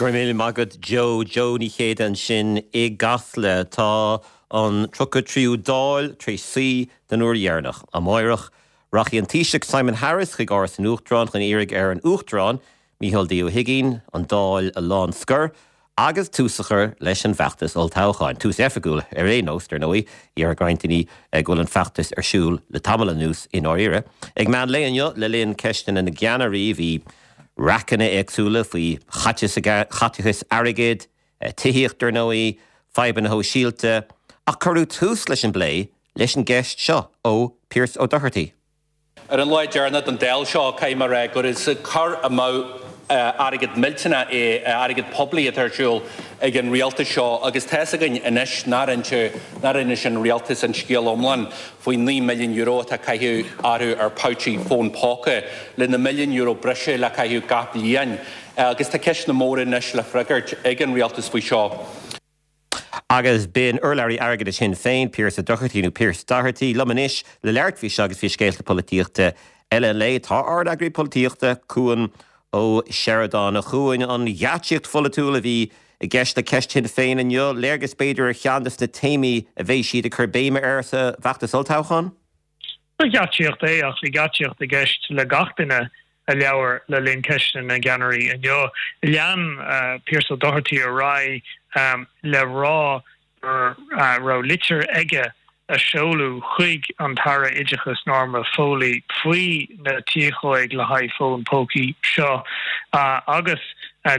Go raibh míle maith agat Joe. Joe Ní Chéide ansin i gCasla. Tá an 33ú Dáil tar éis suí den uair dheireanach. Amáireach, rachaidh an Taoiseach Simon Harris chuig Áras an Uachtaráin chun iarraidh ar an Uachtarán, Micheál D Ó hUigínn, an Dáil a lánscor agus tús a chur leis an bhfeachtas olltoghcháin. Tús oifigiúil ar aon nós, dar ndóigh. Déarfadh roinnt daoine go bhfuil an feachtas ar siúl le tamall anuas i ndáiríre. Ag meán lae inniu, le linn Ceisteanna na gCeannairí, bhí raiceanna éagsúla faoi chaiteachas airgid, tithíocht, dar ndóigh, fadhbanna shóisialta, ach cuireadh tús leis an bplé leis an gceist seo ó Pearse Ó Dochartaigh. Ar an lá deireanach den Dáil seo, caithfidh mé a rá gur is cur amú airgead millteanach é, airgead poiblí atá ar siúl ag an rialtas seo agus tá's againn anois nár inis an rialtas an scéal iomlán faoin €9 milliún atá caitheamh orthu ar phouchí fón póca, le na milliúin euro breise le caitheamh gach bliain agus tá ceisteanna móra anois le freagairt ag an rialtas faoi seo. Agus b'in urlabhraí airgeadais Shinn Féin, Pearse Doherty, nó Pearse Doherty, liom anois le labhairt faoi seo agus faoi scéalta polaitíochta eile an lae. Tá ár n-eagraí polaitíochta, Cuan Ó Seireadáin. A Chuain, an gheáitsíocht pholaitiúil a bhí i gceist le ceist Shinn Féin inniu, léargas b'fhéidir ar cheann de na téamaí a bheidh siad ag cur béime air sa bhfeachtas olltoghcháin? Ba gheáitsíocht é ach bhí geáitsíocht i gceist le gach duine a labhair le linn Ceisteanna na gCeannairí inniu. Lean Pearse Doherty ar aghaidh le rá go raibh litir aige a seoladh chuig an tAire Oideachais Norma Foley faoi na tiachóig le haghaidh fón pócaí seo agus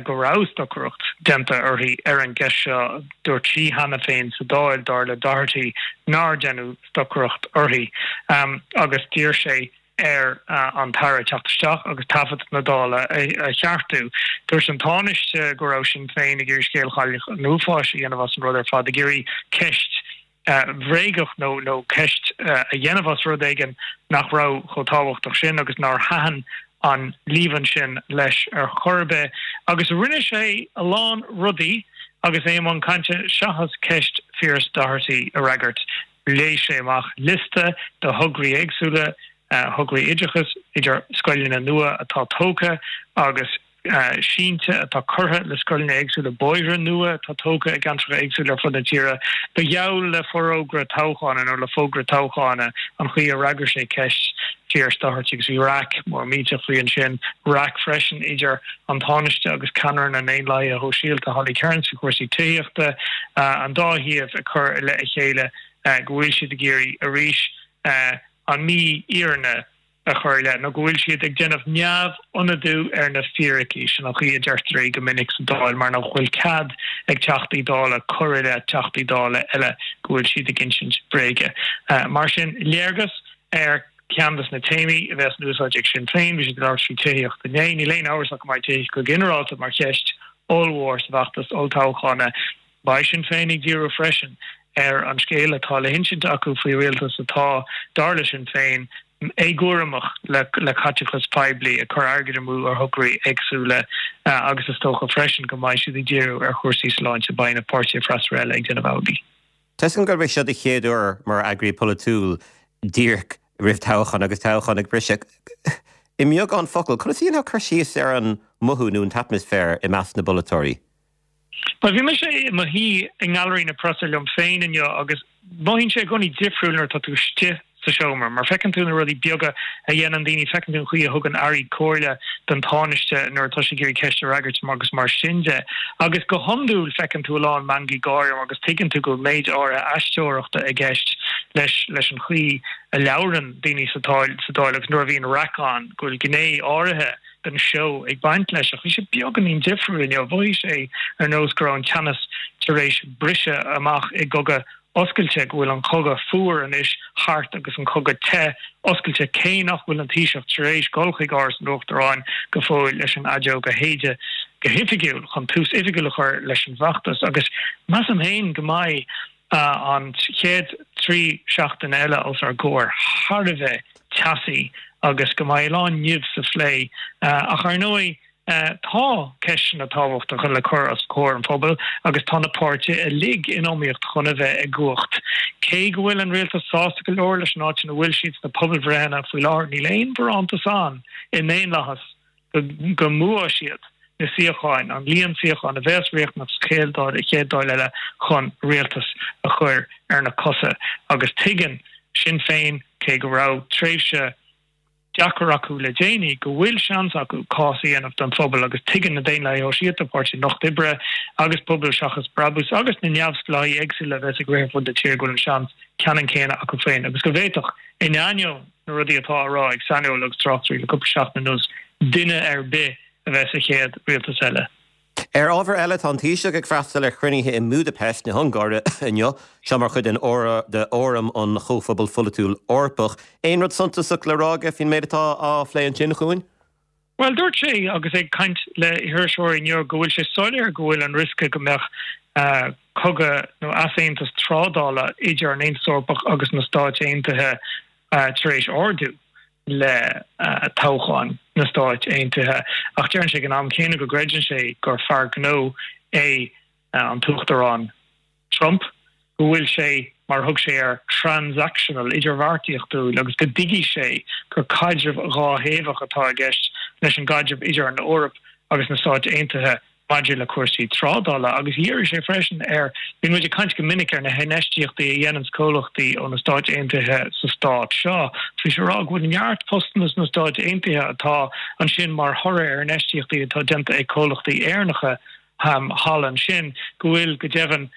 go raibh stocaireacht déanta uirthi ar an gceist seo. Dúirt sí cheana féin sa Dáil, dar le Doherty, nár deineadh stocaireacht uirthi agus d'iarr sé ar an tAire teacht isteach agus taifead na Dála a cheartú. Dúirt an Tánaiste go raibh Sinn Féin ag iarraidh scéal Chailleach an Uafáis a dhéanamh as an rud ar fad, ag iarraidh ceist bhréagach nó nó ceist a dhéanamh as rud éigin nach raibh chomh tábhachtach sin agus nár thaitin an líomhain sin leis ar chor ar bith. Agus rinne sé a lán rudaí agus é i mbun cainte seachas ceist Phearse Doherty a fhreagairt. Léigh sé amach liosta de thograí éagsúla, thograí oideachais, idir scoileanna nua atá tógtha agus sínte atá curtha le scoileanna éagsúla, bóithre nua atá tógtha i gceantracha éagsúla ar fud na tíre. Ba gheall le forógra toghcháin nó le fógra toghcháin an chaoi a fhreagair sé ceist Phearse Doherty agus bhí raic mór millteach faoi ansin, raic freisin idir an Tánaiste agus ceannaire na nDaonlathaithe Shóisialta, Holly Cairns, faoi chúrsaí tithíochta, an dá thaobh ag cur i leith a chéile go bhfuil siad ag iarraidh arís an mhífhírinne a chur i leith, nó go bhfuil siad ag déanamh neamhionadú ar na fíricí. Sin an chaoi a deirtear é go minic sa Dáil, mar nach bhfuil cead ag Teachtaí Dála cur i leith Teachtaí Dála eile go bhfuil siad ag insint bréige. Mar sin, léargas ar cheann de na téamaí a bheas in úsáid ag Sinn Féin. Bhí siad ag labhairt faoi tithíocht inné. Níl aon amhras ach go mbeidh tithíocht go ginearálta mar cheist ollmhór sa bhfeachtas olltoghchána. Beidh Sinn Féin ag díriú freisin ar an scéal atá le hinsint acu faoi rialtas atá, dar le Sinn Féin, éagúramach le caiteachas poiblí, ag cur airgid amú ar thograí éagsúla agus is dócha freisin go mbeidh siad ag díriú ar chúrsaí sláinte. Beidh na páirtithe freasúra eile ag déanamh amhlaidh. Tá 'fhios agam gurb é seo do chéad uair mar eagraí polaitiúil díreach roimh toghchán agus toghchán ag briseadh. I mbeagán focal, conas a dhéanfá cur síos ar an mothú nó an t-atmaisféar i measc na bpolaiteoirí? Bhuel, bhí mise i mo shuí i nGailearaí na Preasa liom féin inniu agus mothaíonn sé i gcónaí difriúil nuair atá tú istigh sa seomra, mar feiceann tú na rudaí beaga a dhéanann daoine, feiceann tú an chaoi a thugann airí comhairle don Tánaiste nuair atá sé ag iarraidh ceist a fhreagairt agus mar sin de. Agus go hiondúil feiceann tú a lán meangaí gáire agus tuigeann tú go bhfuil méid áirithe aisteoireachta i gceist leis leis an chaoi a labhrann daoine sa Dáil sa Dáil agus nuair a bhíonn raic ann go bhfuil gné áirithe den seó ag baint leis. Ach bhí sé beagáinín difriúil inniu. Mhothaigh sé ar nós go raibh an teannas tar éis briseadh amach i gcogadh oscailte, go bhfuil an cogadh fuar anois thart agus an cogadh te oscailte, cé nach bhfuil an Taoiseach tar éis dul chuig Áras an Uachtaráin go fóill leis an fheadóg a shéideadh go hoifigiúil chun tús oifigiúil a chur leis an bhfeachtas. Agus measaim féin go mbeidh an chéad 3 seachtaine eile os ár gcomhair thar a bheith teasaí agus go mbeidh a lán nimh sa phlé. Ach ar ndóigh, Tá ceisteanna tábhachtacha le cur os comhair an phobail agus tá na páirtithe uilig in iomaíocht chun a bheith i gcumhacht. Cé go bhfuil an rialtas sásta go leor leis an áit ina bhfuil siad sna pobalbhreitheanna faoi láthair, níl aon bharántas ann i ndaonlathas go mbuafaidh siad. na suíocháin, an líon suíochán a bheas riachtanach sa chéad Dáil, chéad Dáil eile chun rialtas a chur ar na cosa. Agus tuigeann Sinn Féin, cé go raibh tréimhse deacair acu le déanaí, go bhfuil seans acu cás a dhéanamh don phobal agus tuigeann na Daonlathaithe Shóisialta, Páirtí an Lucht Oibre agus Pobal Seachas Brabús agus na neamhspleáigh éagsúla a bheas ag rith ar fud na tíre go bhfuil an seans ceannann céanna acu féin agus go bhféadfadh, in ainneoin na rudaí atá á rá ag saineolaithe agus tráchtairí le cúpla seachtain anuas, duine ar bith a bheith sa chéad rialtas eile. Ar ábhar eile, tá an Taoiseach ag freastal ar chruinnithe i mBúdaipeist na hUngáire inniu, seo mar chuid den Fhóram an Chomhphobail Pholaitiúil Eorpach. Aon rud suntasach le rá aige faoin méid atá á phlé ansin, a Chuain? Bhuel, dúirt sé, agus é ag caint le hiriseoirí inniu, go bhfuil sé soiléir go bhfuil an riosca go mbeadh cogadh nó easaontas trádála idir an Aontas Eorpach agus na Stáit Aontaithe tar éis ardú le toghchán na Stáit Aontaithe. Ach deireann sé ag an am céanna go gcreideann sé gur fear gnó é an tUachtarán Trump, go bhfuil sé, mar a thug sé air, transactional, idirbheartaíochtúil, agus go dtuigfidh sé gur caidreamh dhátheagmhach atá i gceist leis an gcaidreamh idir an Eoraip agus na Stáit Aontaithe. maidir le cúrsaí trádála agus dhírigh sé freisin ar, bíonn muid ag caint go minic ar na hinfheistíochtaí a dhéananns comhlachtaí ó na Stáit Aontaithe sa stát seo. Bhí sé ag rá go bhfuil neart postanna sna Stáit Aontaithe atá ansin mar thoradh ar infheistíochtaí atá déanta ag comhlachtaí Éireannacha thall ansin, go bhfuil, go deimhin,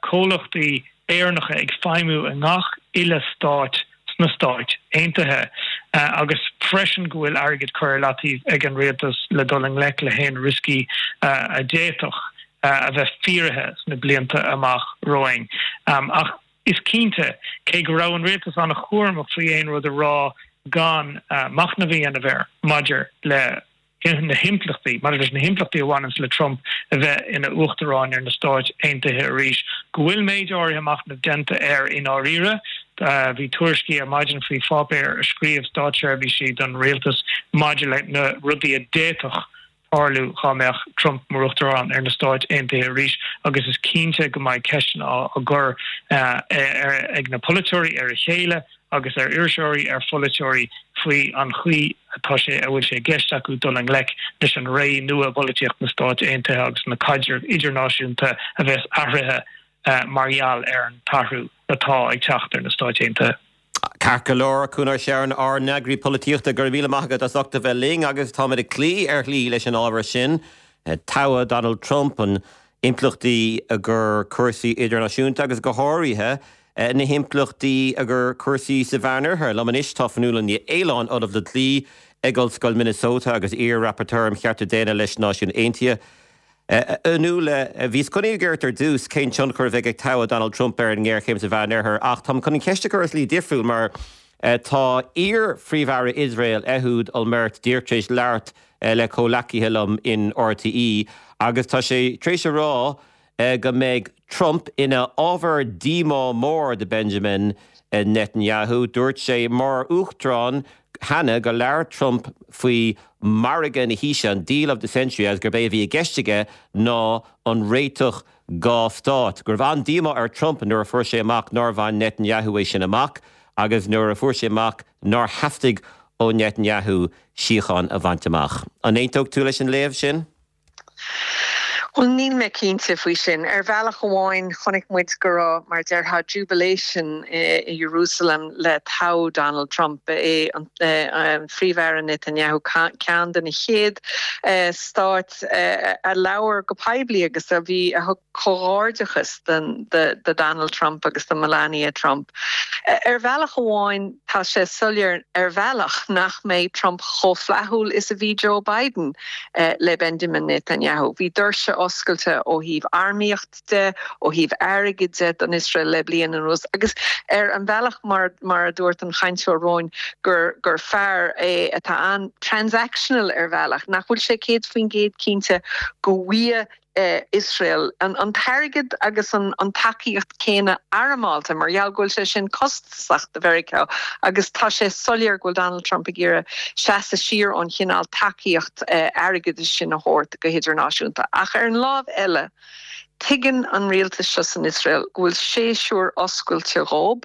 comhlachtaí Éireannacha ag feidhmiú i ngach uile stát sna Stáit Aontaithe agus freisin go bhfuil airgead curtha ar leataobh ag an rialtas le dul i ngleic le haon rioscaí a d'fhéadfadh a bheith fíoraithe sna blianta amach romhainn. Ach is cinnte, cé go raibh an rialtas an-chúramach faoi aon rud a rá gan machnamh a dhéanamh air maidir le na himpleachtaí, maidir leis na himpleachtaí a bhaineanns le Trump a bheith ina Uachtarán ar na Stáit Aontaithe arís, go bhfuil méid áirithe machnaimh déanta air i ndáiríre. Bhí tuairiscí ar maidin faoi pháipéar a scríobh státseirbhísí don rialtas maidir le na rudaí a d'fhéadfadh tarlú dhá mbeadh Trump mar Uachtarán ar na Stáit Aontaithe arís agus is cinnte go mbeidh ceisteanna á gcur ag na polaiteoirí ar a chéile agus ar iriseoirí, ar pholaiteoirí faoi an chaoi atá sé, a bhfuil sé i gceist acu dul i ngleic leis an ré nua i bpolaitíocht na Stáit Aontaithe agus na caidrimh idirnáisiúnta a bheas athraithe mar gheall ar an t-athrú atá ag teacht ar na Stáit Aontaithe. Ceart go leor, a Chuan Ó Seireanáin, ár n-eagraí polaitíochta, go raibh míle maith agat as ucht a bheith linn agus táimid ag cloí ar shlí leis an ábhar sin, toghadh Donald Trump, an impleachtaí do chúrsaí idirnáisiúnta agus go háirithe na himpleachtaí do chúrsaí sa Mheánoirthear. Liom anois tá Fionnuala Ní Aoláin, Ollamh le Dlí ag Ollscoil Minnesota agus iar-Rapporteur um Chearta Daonna leis na Náisiúin Aontaithe. A Fhionnuala, bhíos chun iarraidh ort ar dtús cén tionchar a bheidh ag toghadh Donald Trump ar an ngéarchéim sa Mheánoirthear ach táim chun an cheist a chur i slí difriúil mar tá iar-Phríomh-Aire Iosrael, Ehud Olmert, díreach tar éis labhairt le comhleacaithe liom in RTÉ agus tá sé tar éis a rá go mbeidh Trump ina ábhar díomá mór do Benjamin Netanyahu. Dúirt sé mar uachtarán cheana gur labhair Trump faoi mhargadh na haoise, an deal of the century, agus gurb é a bhí i gceist aige ná an réiteach dhá stát. Go raibh an-díomá ar Trump nuair a fuair sé amach nár bhain Netanyahu é sin amach agus nuair a fuair sé amach nár theastaigh ó Netanyahu síocháin a bhaint amach. An aontódh tú leis an léamh sin? Bhuel, níl mé cinnte faoi sin. Ar bhealach amháin, chonaic muid go raibh, mar a déarfá, jubilation i Jerusalem le toghadh Donald Trump. Ba é an Phríomh-Aire Netanyahu ceann de na chéad stáit a labhair go poiblí agus a bhí, a thug comhghairdeachas do Donald Trump agus do Melania Trump. Ar bhealach amháin, tá sé soiléir ar bhealach nach mbeidh Trump chomh flaithiúil is a bhí Joe Biden le Benjamin Netanyahu. Bhí doirse oscailte ó thaobh armaíocht de, ó thaobh airgid de don Iosrael le bliain anuas agus ar an bhealach mar mar a dúirt an chainteoir romhainn gur gur fear é atá an-transactional ar bhealach, nach bhfuil sé 100% cinnte go bhfaighidh Iosrael an t-airgead agus an tacaíocht céanna armálta mar gheall go bhfuil sé sin costasach do Mheiriceá agus tá sé soiléir go bhfuil Donald Trump ag iarraidh seasamh siar ón chineál tacaíocht airgeadais sin a thabhairt go hidirnáisiúnta. Ach ar an lámh eile. Tuigeann an rialtas seo san Iosrael go bhfuil séasúr oscailte dhób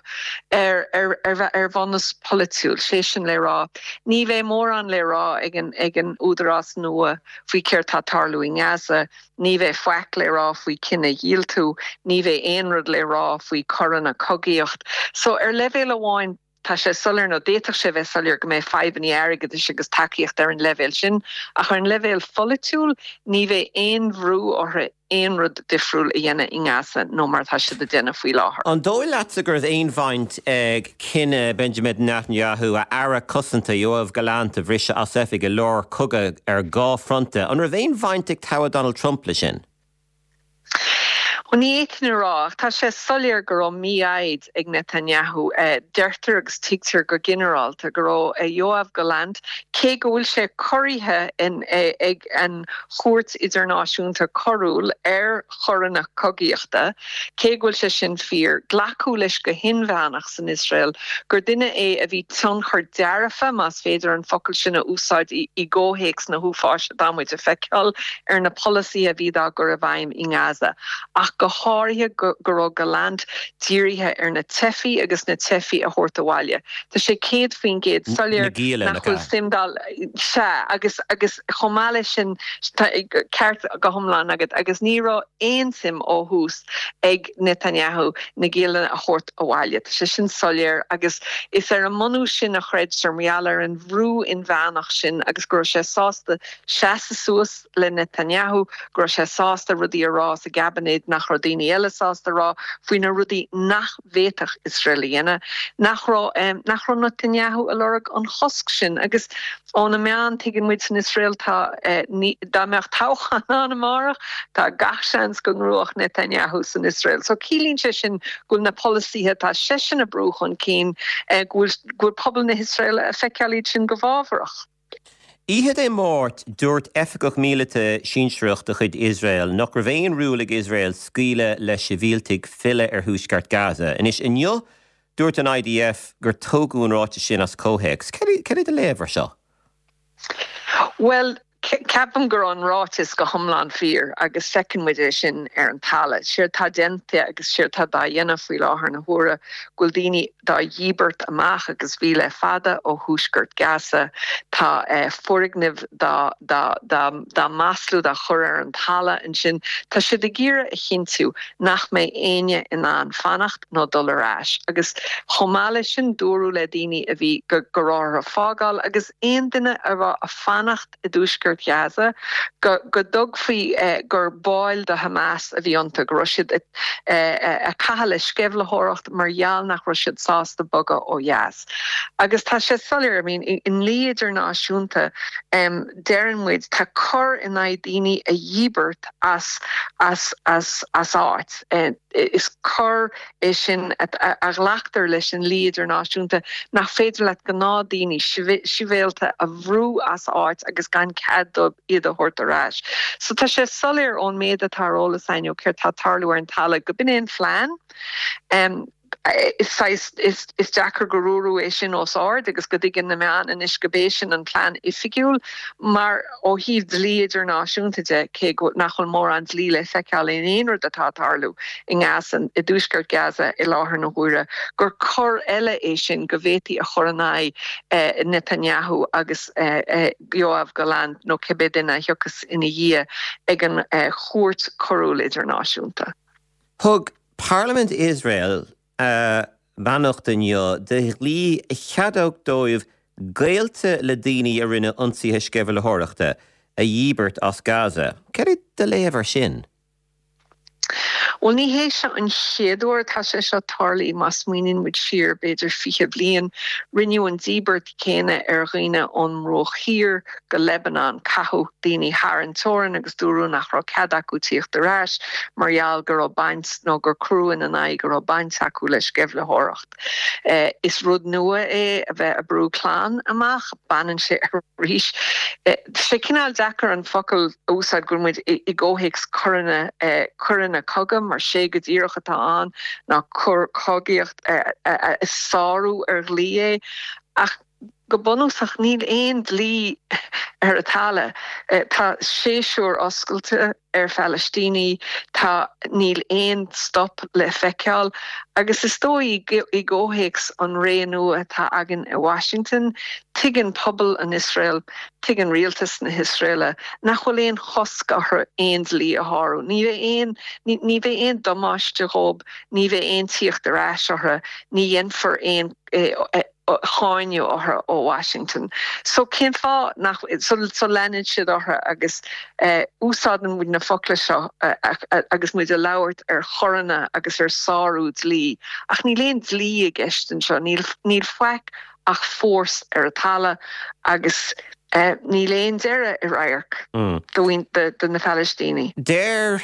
ar ar bhunús polaitiúil, sé sin le rá, ní bheidh mórán le rá ag an ag an údarás nua faoi céard tá ag tarlú i nGaza, ní bheidh faic le rá faoi cinedhíotú, ní bheidh aon rud le rá faoi coireanna cogaíocht. So ar leibhéal amháin, Tá sé soiléir, nó d'fhéadfadh sé a bheith soiléir, go mbeidh fadhbanna airgeadais agus tacaíocht ar an leibhéal sin, ach ar an leibhéal pholaitiúil, ní bheidh aon bhrú orthu aon rud difriúil a dhéanamh i nGaza nó mar atá siad ag déanamh faoi láthair. An dóigh leatsa go raibh aon bhaint ag cinneadh Benjamin Netanyahu a aire cosanta Yoav Gallant a bhriseadh as oifig i lár cogadh ar dhá fronta, an raibh aon bhaint ag toghadh Donald Trump le sin? Bhuel, ní fhéadfainn a rá, ach tá sé soiléir go raibh mífhoighid ag Netanyahu. Deirtear agus tuigtear go ginearálta go raibh Yoav Gallant, cé go bhfuil sé corraithe ag an Chúirt Idirnáisiúnta Coiriúil ar choireanna cogaíochta, cé go bhfuil sé sin fíor, glacadh leis go hinmheánach san Iosrael gur duine é a bhí tionchar dearfa, más féidir an focal sin a úsáid i gcomhthéacs na huafáis atá muid a feiceáil, ar na polasaithe a bhí dá gcur i bhfeidhm i nGaza, ach go háirithe go raibh Gallant dírithe ar na teifigh agus na teifigh a thabhairt abhaile. Tá sé 100% soiléir nach bhfuil suim dá. Sea, agus agus chomh maith leis sin, tá ceart go hiomlán agat, agus ní raibh aon suim ó thús ag Netanyahu na giallanna a thabhairt abhaile. Tá sé sin soiléir agus is ar an mbunús sin a chreidtear, mar gheall ar an bhrú inmheánach sin agus go raibh sé sásta seasamh suas le Netanyahu, go raibh sé sásta rudaí a rá sa gcaibinéad nach raibh daoine eile sásta a rá faoi na rudaí nach bhféadfadh Iosrael a dhéanamh, nach raibh nach raibh Netanyahu ag lorg an chosc sin. Agus ó na meáin, tuigeann muid san Iosrael, tá dá mbeadh toghchán ann amárach, tá gach seans go ngnóthódh Netanyahu san Iosrael. So ciallaíonn sé sin go bhfuil na polasaithe atá seisean ag brú chun cinn, go bhfuil go bhfuil pobal na hIosraeile ag feiceáil iad sin go bhfábharach. Oíche Dé Máirt, dúirt oifigeach míleata sinsearach de chuid Iosrael nach raibh aon riail ag Iosrael scaoileadh le sibhialtaigh filleadh ar thuaisceart Gaza. Anois, inniu, dúirt an IDF gur tógadh an ráiteas sin as comhthéacs. Cad é do léamh ar seo? Bhuel, ceapaim go raibh an ráiteas go hiomlán fíor agus feiceann muid é sin ar an talamh. Séard tá déanta agus séard tá dá dhéanamh faoi láthair na huaire, go bhfuil daoine dá dhíbirt amach agus bhí le fada ó thuaisceart Gaza. Tá foirgnimh dá dá maslú, dá chur ar an talamh ansin. Tá siad ag iarraidh a chinntiú nach mbeidh éinne in ann fanacht nó dul ar ais. Agus chomh maith leis sin, dúradh le daoine a bhí go raibh orthu fágáil agus aon duine a raibh a fanacht i dtuaisceart Ghaza, go dtuigfí gur baill de Hamas a bhí iontu, go raibh siad ag caitheamh le sceimhlitheoireacht mar gheall nach raibh siad sásta bogadh ó dheas. Agus tá sé soiléir, I mean, i ndlí idirnáisiúnta, deireann muid, tá coir in aghaidh daoine a dhíbirt as as as as áit. Is coir é sin a ghlactar leis i ndlí idirnáisiúnta nach féidir leat gnáthdaoine sibhialta a bhrú as áit agus gan cead dóibh iad a thabhairt ar ais. So tá sé soiléir ón méid atá ar eolas againn ó céard tá ag tarlú ar an talamh go b'in é an phlean. Is saghas, is deacair gur dúradh é sin os ard agus go dtuigeann na meáin anois go b'é sin an plean oifigiúil mar ó thaobh dlí idirnáisiúnta de, cé go nach bhfuil mórán dlí le feiceáil in aon rud atá ag tarlú i nGaza, i dtuaisceart Gaza i láthair na huaire, gur cor eile é sin go bhféadfaí a chur in aghaidh Netanyahu agus Yoav Gallant nó cibé duine a thiocfas ina dhiaidh ag an Chúirt Choiriúil Idirnáisiúnta. Thug Parlaimint Iosrael a mbeannacht inniu do dhlí a cheadódh dóibh gaolta le daoine a rinne ionsaithe sceimhlitheoireachta a dhíbirt as Gaza. Cad é do léamh ar sin? Bhuel, ní hé seo an chéad uair atá sé seo tarlaithe. Má smaoiníonn muid siar b'fhéidir 20 bliain, rinneadh an díbirt chéanna ar dhaoine ón mBruach Thiar go Lebanon. Caitheadh daoine thar an teorainn agus dúradh nach raibh cead acu tíocht ar ais mar gheall go raibh baint nó gur cuireadh ina n-aghaidh go raibh baint acu le sceimhlitheoireacht. Is rud nua é a bheith ag brú clann amach. Baineann sé arís. Tá sé cineál deacair an focal a úsáid go bhfuil muid i gcomhthéacs coireanna, coireanna cogaidh mar sé go díreach atá ann ná coir cogaíocht. Is sárú ar dhlí é, ach go bunúsach níl aon dlí. ar an talamh. Tá séasúr oscailte ar Phalaistínigh, tá, níl aon stop le feiceáil agus is dóigh i gcomhthéacs an ré nua atá againn i Washington, tuigeann pobal an Iosrael, tuigeann rialtas na hIosraeile nach bhfuil aon chosc orthu aon dlí a shárú. Ní bheidh aon, ní bheidh aon damáiste dhóibh, ní bheidh aon tíocht ar ais orthu, ní dhéanfar aon cháineadh orthu ó Washington. So cén fáth nach, so leanann siad orthu agus úsáideann muid na focla seo agus muid ag labhairt ar choireanna agus ar sárú dlí ach níl aon dlí i gceist anseo, níl, níl faic ach fórsa ar an talamh agus níl aon deireadh i radharc do na Palaistínigh. Deir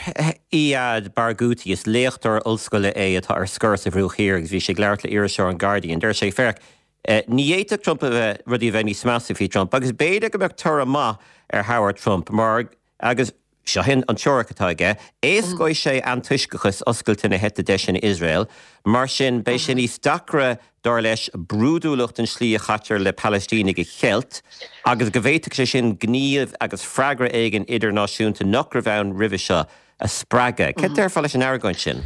Iyad Barghouti, is léachtóir ollscoile é atá ar scor sa Bhruach Thiar agus bhí sé ag labhairt le iriseoir an Guardian, deir sé, Féach, ní fhéadfadh Trump a bheith, rudaí a bheith níos measa faoi Trump agus b'fhéidir go mbeadh toradh maith ar thoghadh Trump mar, Agus seo an teoiric atá aige, éascóidh sé antoisceachas oscailte na heite deise in Iosrael, mar sin beidh sé níos deacra, dar leis, brúidiúlacht an tslí a chaitear le Palaistínigh a cheilt, agus go bhféadfadh sé sin gníomh agus freagra éigin idirnáisiúnta nach raibh ann roimhe seo a spreagadh. Céard déarfá leis an argóint sin?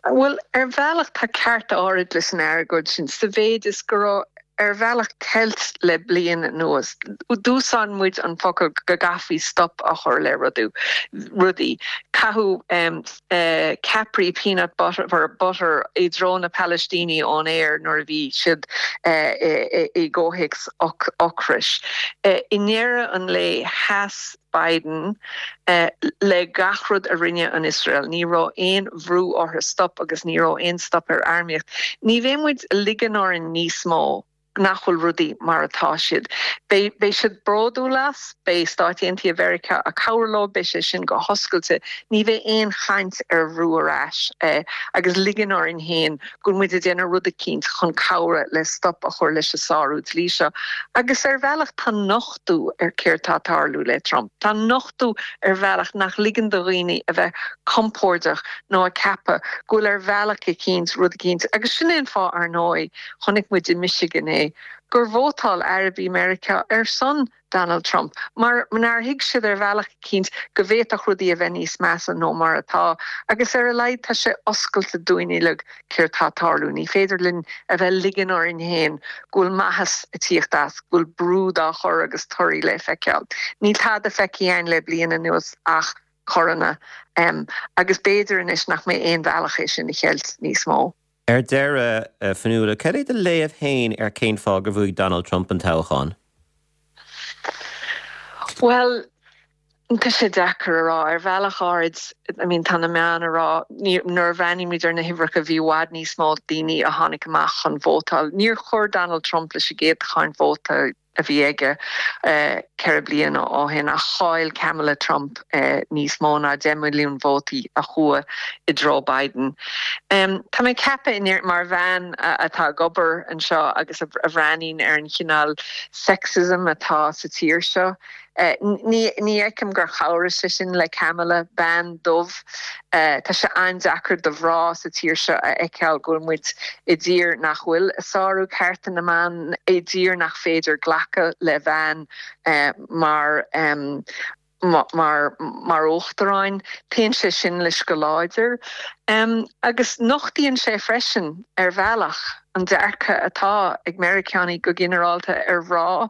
Bhuel, ar bhealach tá ceart áirid leis an argóint sin, sa mhéid is go raibh ar bhealach ceilt le bliain anuas. D'úsáid muid an focal go gcaithfí stop a chur le rudaí. Caitheadh ceapairí peanut butter i dtreo na Palaistínigh ón aer nuair a bhí siad i gcomhthéacs ocrais. I ndeireadh an lae sheas Biden le gach rud a rinne an Iosrael. Ní raibh aon bhrú orthu stop agus ní raibh aon stop ar armaíocht. Ní bheidh muid ag ligean orainn níos mó nach bhfuil rudaí mar atá siad. Beidh beidh siad bródúil as, beidh Stáit Aontaithe Mheiriceá ag cabhrú leo, beidh sé sin go hoscailte. Ní bheidh aon chaint ar bhrú ar ais agus ligean orainn féin go bhfuil muid ag déanamh rud eicínt chun cabhrú le stop a chur leis an sárú dlí seo. Agus ar bhealach tá nochtú ar céard tá ag tarlú le Trump. Tá nochtú ar bhealach nach ligeann do dhaoine a bheith compordach nó ag ceapadh go bhfuil ar bhealach eicínt rud eicínt, agus sin é an fáth ar ndóigh, chonaic muid i Michigan é, gur vótáil Arabaigh Meiriceá ar son Donald Trump, mar nár thuig siad ar bhealach eicínt go bhféadfadh rudaí a bheith níos measa nó mar atá, agus ar a laghad tá sé oscailte dúinn uilig céard tá ag tarlú. Ní féidir linn a bheith ag ligean orainn féin go bhfuil maitheas ag tíocht as, go bhfuil brú dá chur agus torthaí le feiceáil. Níl tada feicthe againn le bliain anuas ach coireanna, agus b'fhéidir anois nach mbeidh aon bhealach é sin a cheilt níos mó. Ar deireadh, a Fionnuala, cad é do léamh féin ar cén fáth gur bhuaigh Donald Trump an toghchán? Bhuel, tá sé deacair a rá. Ar bhealach áirid, I mean, tá na meáin ag rá, nuair a bhreathnaímid ar na huimhreacha, bhí i bhfad níos mó daoine a tháinig amach chun vótáil. Níor chuir Donald Trump leis an gcéatadán vóta a bhí aige 4 bliana ó shin ach chaill Kamala Trump níos mó ná 10 milliún vótaí a chuaigh i dtreo Biden. Tá mé ag ceapadh, mar bhean atá ag obair anseo agus a bhreathnaíonn ar an chineál sexism atá sa tír seo, Ní fheicim gur chabhraigh sé sin le Kamala, bean dubh. Tá sé an-deacair do mhná sa tír seo a fheiceáil go bhfuil muid i dtír nach bhfuil ag sárú cearta na mban, i dtír nach féidir glacadh le bhean mar mar mar uachtaráin. Téann sé sin leis go láidir. Agus nochtaíonn sé freisin, ar bhealach, an dearcadh atá ag Meiriceánaigh go ginearálta ar mhná.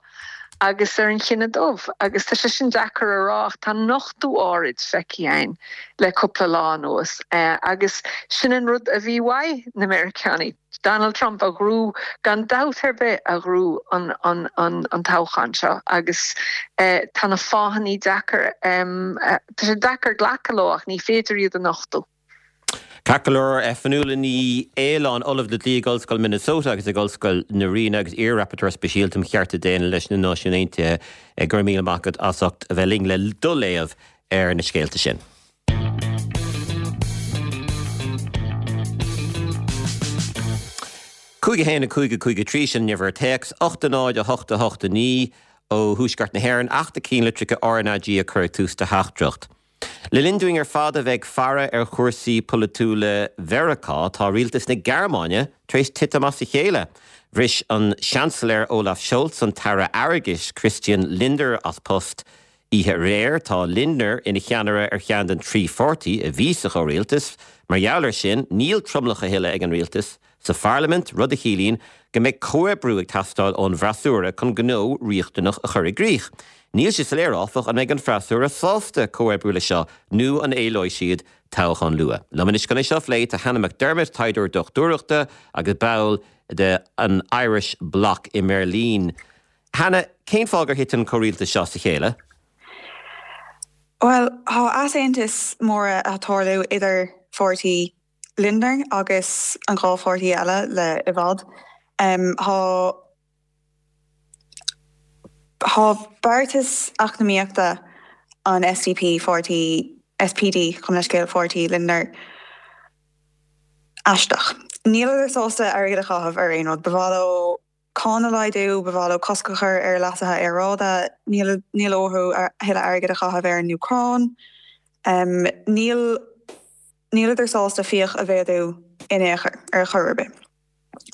agus ar an chine dubh, agus tá sé sin deacair a rá ach tá nochtadh áirid feicthe againn le cúpla lá anuas agus sin an rud a bhí uaidh na Meiriceánaigh, Donald Trump a ghnóthaigh gan dabht ar bith a ghnóthaigh an toghchán seo agus tá na fáthanna deacair, tá sé deacair glacadh leo ach ní féidir iad a nochtadh. Ceart go leor, Fionnuala Ní Aoláin, Ollamh le Dlí ag Ollscoil Minnesota agus ag Ollscoil na Ríona agus iar-Rapporteur Speisialta um Chearta Daonna leis na Náisiúin Aontaithe, go raibh míle maith agat as ucht a bheith linn le do léamh ar na scéalta sin. 5 1 5 5 3 sin an uimhir téacs, 8 0 8 8 9 ó Thuaisceart na hÉireann, Acht na cinnlitreacha RnaG a cuireadh tús de theachtaireacht. Le linn dúinn ar fad a bheith ag faire ar chúrsaí polaitiúla Mheiriceá, tá rialtas na Gearmáine tar éis titim as a chéile. Bhris an Seansailéir Olaf Scholz an tAire Airgeadais Christian Lindner as post oíche aréir. Tá Lindner ina cheannaire ar cheann den trí pháirtí a bhí sa chomhrialtas. Mar gheall air sin, níl tromlach a thuilleadh ag an rialtas sa pharlaimint, rud a chiallaíonn go mbeidh comhoibriú ag teastáil ón bhfreasúra chun gnó riachtanach a chur i gcrích. Níl sé soiléir, áfach, an mbeidh an freasúra sásta comhoibriú leis seo nó an éileoidh siad toghchán luath. Liom anois chun é seo a phlé tá Hannah McDermott, taighdeoir dochtúireachta agus ball de an Irish Bloc i mBeirlín. Hannah, cén fáth gur thit an comhrialtas seo as a chéile? Bhuel, tá easaontais móra ag tarlú idir pháirtí Lindner agus an dá pháirtí eile le i bhfad. Tá Tá beartas eacnamaíochta an SDP, pháirtí SPD, gabh mo leithscéal, pháirtí Lindner, aisteach. Níleadar sásta airgead a chaitheamh ar aon rud. Ba mhaith leo cáin a laghdú, ba mhaith leo cosc a chur ar leasuithe aeráide, níl níl uathu a thuilleadh airgid a chaitheamh ar an Úcráin. Níl níleadar sásta fiach a mhéadú in aon chor, ar chor ar bith.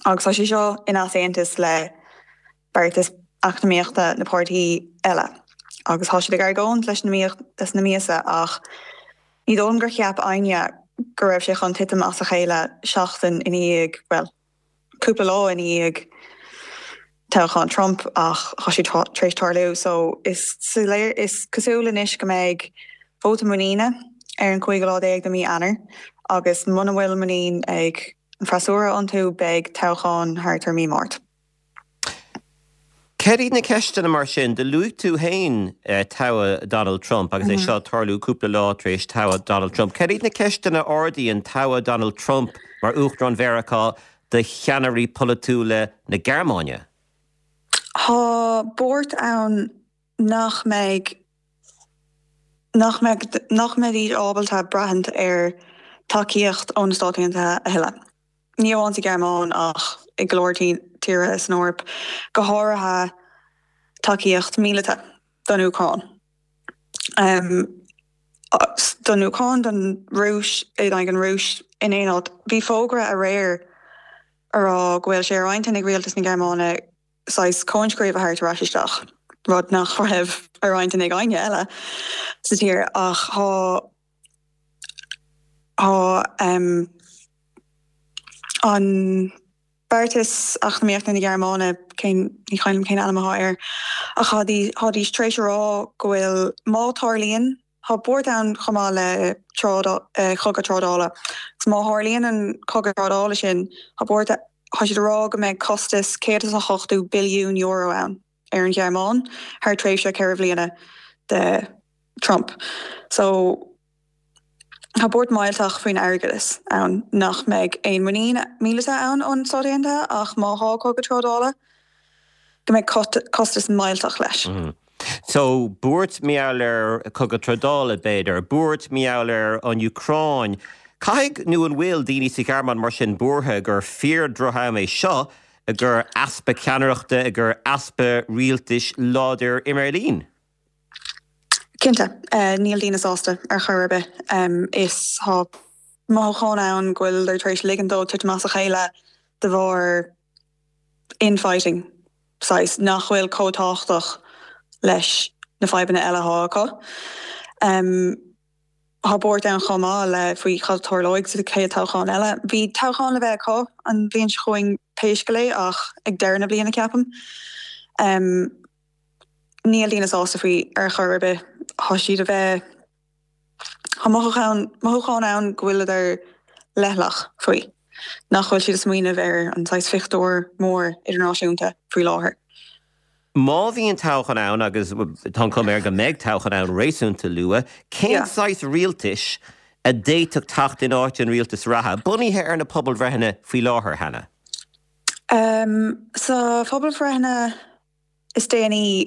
Agus tá sé seo in easaontas le beartas eacnamaíochta na páirtí eile. Agus tá siad ag argóint leis leis na míosa ach ní dóigh liom gur cheap éinne go raibh sé chun titim as a chéile seachtain ina dhiaidh, bhuel, cúpla lá ina dhiaidh toghchán Trump ach tá sé tar éis tarlú. So is soiléir, is cosúil anois go mbeidh vóta muiníne ar an cúigiú lá déag de mí Eanáir agus muna bhfuil muinín ag an freasúra iontu beidh toghchán thart ar mí Máirt. Céard iad na ceisteanna mar sin? Do luaigh tú féin toghadh Donald Trump agus é seo ag tarlú cúpla lá tar éis toghadh Donald Trump. Céard iad na ceisteanna a ardaíonn toghadh Donald Trump mar Uachtarán Mheiriceá do cheannairí polaitiúla na Gearmáine? Tá buairt ann nach mbeidh nach mbeidh nach mbeidís ábalta braithint ar tacaíocht ó na Stáit Aontaithe a thuilleadh. ní amháin sa Ghearmáin ach i go leor tíortha san Eoraip, go háirithe tacaíocht míleata don Úcráin. Don Úcráin, don Rúis, in aghaidh an Rúis in aon áit. Bhí fógra aréir a rá go bhfuil sé ar intinn ag rialtas na Gearmáine saghas coinscríobh a thabhairt ar ais isteach, rud nach raibh ar intinn ag éinne eile sa tír ach tá Tá an beartas eacnamaíochta na Gearmáine, cén, ní cuimhin liom cén ainm atá air, ach tháidís tar éis a rá go bhfuil, má tharlaíonn, tá buairt ann chomh maith le trádáil, cogadh trádála, agus má tharlaíonn an cogadh trádála sin, tá buairt, tá siad a rá go mbeidh costas €180 billiún ann ar an Ghearmáin thar tréimhse ceithre bhliana de Trump. So. Tá buairt mhillteach faoin airgeadas ann nach mbeidh aon muinín míleata ann ón Stáit Aontaithe ach má thá cogadh trádála go mbeidh costas millteach leis. So, buairt mar gheall ar cogadh trádála, b'fhéidir, buairt mar gheall ar an Úcráin. Caithfidh, nó an bhfuil, daoine sa Ghearmáin mar sin buartha gur fíor-dhroch-am é seo i gcomhair easpa ceannaireachta, i gcomhair easpa rialtais láidir i mBeirlín? Cinnte, níl daoine sásta ar chor ar bith. Is tá mothúchán ann go bhfuileadar tar éis ligean dó titim as a chéile de bharr infighting saghas nach bhfuil chomh tábhachtach leis na fadhbanna eile atá acu. Tá buairt ann chomh maith le faoi cad a tarlóidh sa chéad toghchán eile. Bhí toghchán le bheith acu an bhliain seo chugainn pé scéal é ach ag deireadh na bliana ceapaim. Níl daoine sásta faoi ar chor ar bith. Tá siad a bheith, tá mothúchán, mothúchán ann go bhfuileadar leithleach faoi, nach bhfuil siad ag smaoineamh ar an saghas phictiúr mór idirnáisiúnta faoi láthair. Má bhíonn toghchán ann, agus tá an chuma air go mbeidh toghchán ann réasúnta luath, cén saghas rialtais a d'fhéadfadh teacht in áit an rialtais reatha, bunaithe ar na pobalbhreitheanna faoi láthair, Hannah? Sa phobalbhreitheanna is déanaí,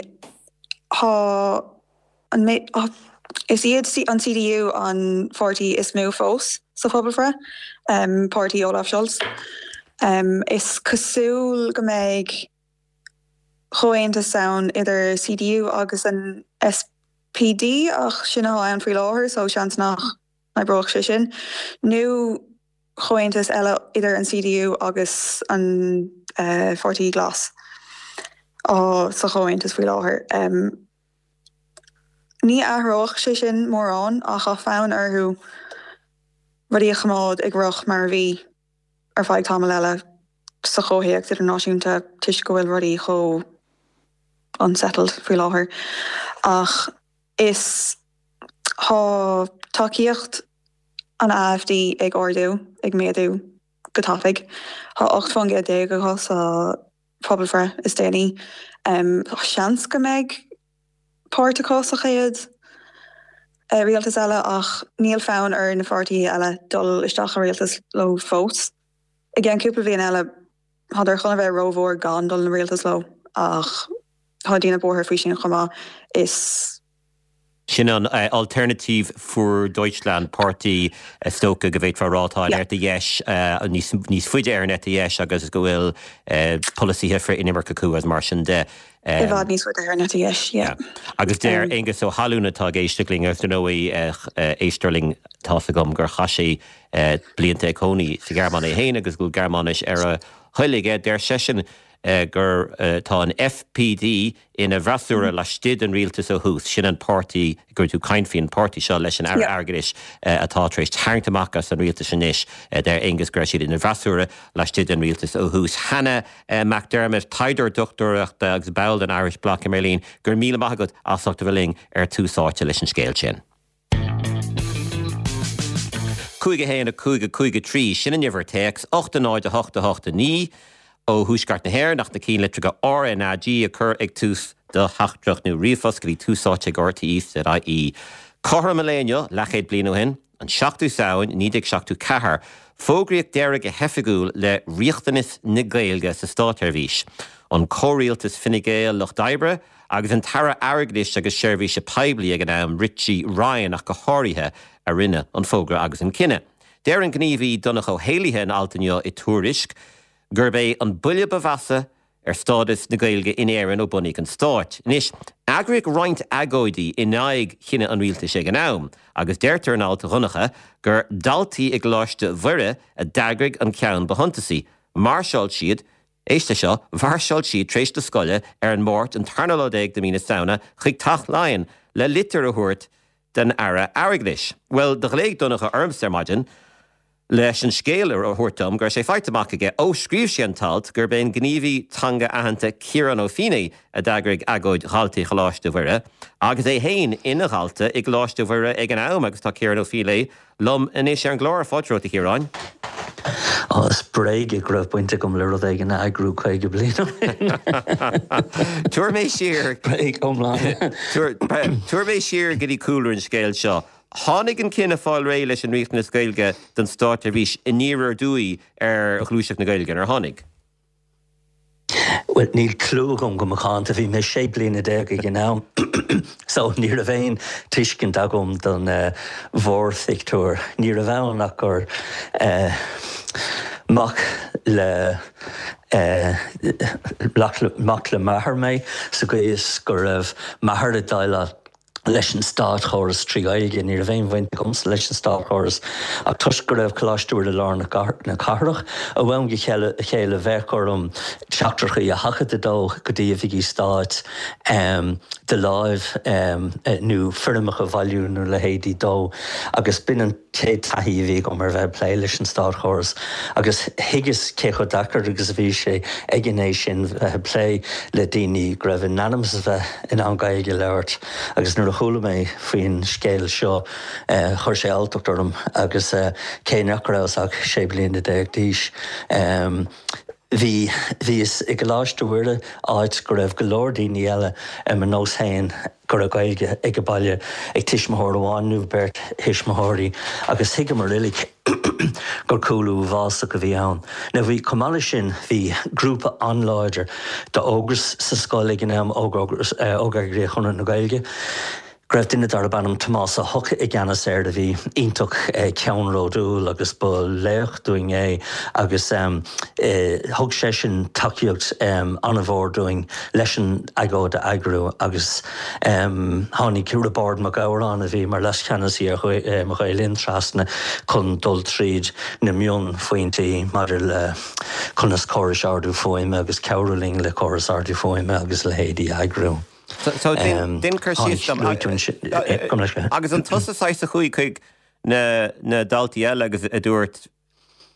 tá an, is iad an CDU an pháirtí is mó fós sa phobalbhreith, páirtí Olaf Scholz. Is cosúil go mbeidh comhaontas ann idir CDU agus an SPD ach sin atá ann faoi láthair so seans nach n-oibreoidh sé sin. Nó. comhaontas eile idir an CDU agus an Pháirtí Glas sa chomhaontas faoi láthair. Ní athródh sé sin mórán ach tá fonn orthu rudaí a choimeád ag rith mar a bhí ar feadh tamall eile sa chomhthéacs idirnáisiúnta toisc go bhfuil rudaí chomh unsettled faoi láthair. Ach is tá tacaíocht an AfD ag ardú, ag méadú go tapaidh. Tá 18 faoin gcéad acu sa phobalbhreith is déanaí. Seans go mbeidh páirt acu sa chéad rialtas eile ach níl fonn ar na pháirtithe eile dul isteach i rialtas leo fós. I gceann cúpla bliain eile, tádar chun a bheith rómhór gan dul i rialtas leo ach tá daoine buartha faoi sin chomh maith. Is. Sin an Alternative für Deutschland, páirtí is dócha go bhféadfá a rá atá ar an eite dheis, níos faide ar an eite dheis agus go bhfuil polasaithe frith-inimirce acu agus mar sin de. I bhfad níos faide ar an eite dheis, yeah. Agus deir Aengus Ó hAlúin atá ag éisteacht linn agus dar ndóigh éisteoir linn tá's agam gur chaith sé blianta ag cónaí sa Ghearmáin é féin agus go bhfuil Gearmáinis ar a thoil aige, deir seisean gur tá an FPD ina bhfreasúra laistigh den rialtas ó thús. Sin an páirtí go raibh tú ag caint faoi, an páirtí seo leis an Aire Airgeadais atá tar éis tarraingt amach as an rialtas anois. Deir Aengus go raibh siad ina bhfreasúra laistigh den rialtas ó thús. Hannah McDermott, taighdeoir dochtúireachta agus ball den Irish Bloc i mBeirlín, go raibh míle maith agat as ucht a bheith linn ar Tús Áite leis an scéal sin. 5 1 5 5 3, sin an uimhir téacs, 8 0 8 8 9, ó Thuaisceart na hÉireann ach na cinnlitreacha RnaG a chur ag tús do theachtaireacht nó ríomhphost go dtí túsáite ag rte.ie. Cothrom an lae inniu, leathchéad bliain ó shin, an 7ú Samhain 1974, fógraíodh deireadh go hoifigiúil le riachtanas na Gaeilge sa státsheirbhís. An comhrialtas Fine Gael, Lucht Oibre, Agus an tAire Airgeadais agus Seirbhíse Poiblí ag an am, Richie Ryan ach go háirithe, a rinne an fógra agus an cinneadh. Deir an gníomhaí Donncha Ó hÉallaithe in alt inniu i Tuairisc gurb é an buille ba mheasa ar stádas na Gaeilge in Éirinn ó bunaíodh an stáit. Anois, eagraíodh roinnt agóidí in aghaidh chinneadh an rialtais ag an am agus deirtear in alt Dhonncha gur daltaí i gColáiste Mhuire a d'eagraigh an ceann ba shuntasaí. Mhairseáil siad Éist leis seo, mhairseáil siad tar éis na scoile ar an Máirt an tarna lá déag de mhí na Samhna chuig Teach Laighean le litir a thabhairt don Aire Airgeadais. Bhuel, do ghlaoigh Donncha ormsa ar maidin leis an scéal a thabhairt dom go raibh sé faighte amach aige ó scríobh sé an t-alt gurb é an gníomhaí teanga aitheanta Ciarán Ó Feinneadha a d'eagraigh agóid dhaltaí Choláiste Mhuire agus é féin ina dhalta i gColáiste Mhuire ag an am agus tá Ciarán Ó Feinneadha liom anois ar an gclár. Fáilte romhat, a Chiaráin. Ó, is bréag é go raibh baint agam le rud éigin a eagrú 50 bliain ó shin. Tabhair mé siar. Bréag iomlán. Tabhair mé siar go dtí cúlra an scéil seo. Tháinig an cinneadh fáil réidh leis an riachtanas Gaeilge don státseirbhís aniar aduaidh ar Ghluaiseacht na Gaeilge, nár tháinig? Bhuel, níl clue agam go macánta. Bhí mé 16 bliana ag an am so ní raibh aon tuiscint agam don mhórphictiúr. Ní raibh ann ach gur mac le mac le m'athair mé sa gcaoi is go raibh m'athair ag déileáil leis an státchóras trí Ghaeilge. Ní raibh aon bhaint agamsa leis an státchóras ach toisc go raibh Coláiste Mhuire i lár na cathrach, ó am go chéile bheadh orm teachtaireachtaí a sheachadadh dó go dtí oifigí stáit de láimh nó foirmeacha a bhailiú nó leithéidí dó agus b'in an chéad taithí a bhí agam ar bheith ag plé leis an státchóras agus thuigeas cé chomh deacair agus a bhí sé ag an aois sin bheith ag plé le daoine go raibh in ainm is a bheith in ann Gaeilge a labhairt agus nuair a chuala mé faoin scéal seo chuir sé alltacht orm agus cé nach rabhas ach 16 bliana d'aois bhí bhíos i gColáiste Mhuire áit go raibh go leor daoine eile ar mo nós féin go raibh Gaeilge ag baile ag tuismitheoir amháin nó beirt thuismitheoirí agus thuigeamar uilig gur cúlú uafásach a bhí ann. Now bhí, chomh maith leis sin, bhí grúpa an-láidir d'Ógras sa scoil ag an am, Óg-Eagraíocht Chonradh na Gaeilge. Go raibh duine darb ainm Tomás Ó hEochaidh i gceannas air a bhí iontach ceannródúil agus ba laoch dúinn é agus thug seisean tacaíocht an-mhór dúinn leis an agóid a eagrú agus tháinig Roibeárd Mac Gabhráin a bhí mar leascheannasaí ar Ghael Linn trasna chun dul tríd na mionphointí maidir le conas córais ardú fuaime agus cabhrú linn le córas ardú fuaime agus a leithéidí a eagrú. So déan cur síos dom agus an tusa saghas a chuaigh chuig na na daltaí eile agus a dúirt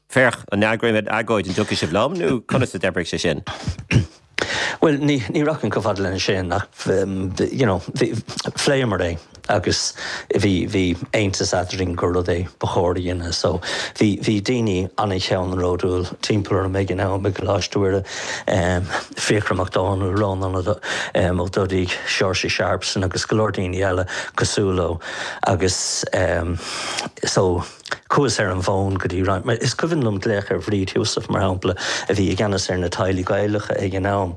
féach an eagraímid agóid an dtiocfaidh sibh liom nó conas a d'oibrigh sé sin? Bhuel ní ní rachainn chomh fada lena sin ach you know phléamar é agus bhí bhí aontas eadrainn gur rud é ba chóir a dhéanamh so bhí bhí daoine an-cheannródúil timpeall orm ag an am i gColáiste Mhuire. Fiachra Mac Dónaill, Rónán Ó Dudaigh, Seoirse Sharpston agus go leor daoine eile cosúil leo agus so chuas ar an bhfón go dtí roinnt, is cuimhin liom glaoch ar Bhríd Heussaff mar shampla a bhí i gceannas ar na teaghlaigh Ghaelacha ag an am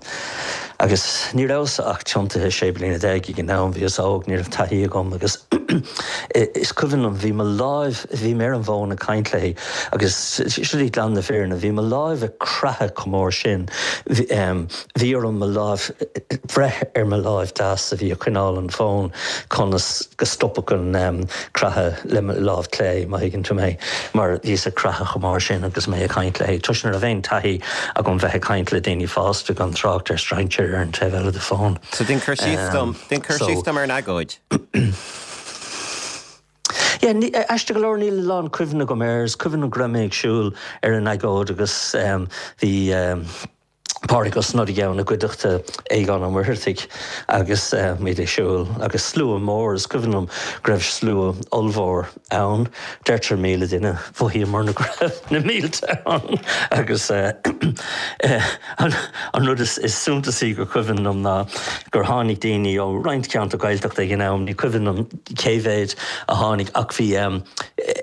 agus ní rabhas ach tiontaithe 16 bliana ag an am, bhíos óg, ní raibh taithí agam agus is cuimhin liom bhí mo láimh, bhí mé ar an bhfón ag caint léi Agus seo í glan na fírinne, bhí mo láimh ag creathadh chomh mór sin, bhí orm mo láimh breith ar mo láimh deas a bhí ag coinneáil an fón conas go stopfadh an creathadh le mo láimh clé, má thuigeann tú mé, mar bhíos ag creathadh chomh mór sin agus mé ag caint léi, toisc nach raibh aon taithí agam bheith ag caint le daoine fásta gan trácht ar strainséir ar an taobh eile de fón. So déan cur síos dom, déan cur síos dom ar an agóid. Yeah, aisteach go leor níl a lán cuimhne agam air. Is cuimhin liom go raibh mé ag siúl ar an agóid agus bhí Pádraig Ó Snodaigh ann i gcuideachta Aogán Ó Muircheartaigh agus muid ag siúl agus slua mór, is cuimhin liom go raibh slua ollmhór ann, deirtear 1,000 duine, mhothaíomarna go raibh na mílte ann agus an rud is suntasaí gur cuimhin liom ná gur tháinig daoine ó roinnt ceantar Gaeltachta ag an am, ní cuimhin liom cé mhéid a tháinig ach bhí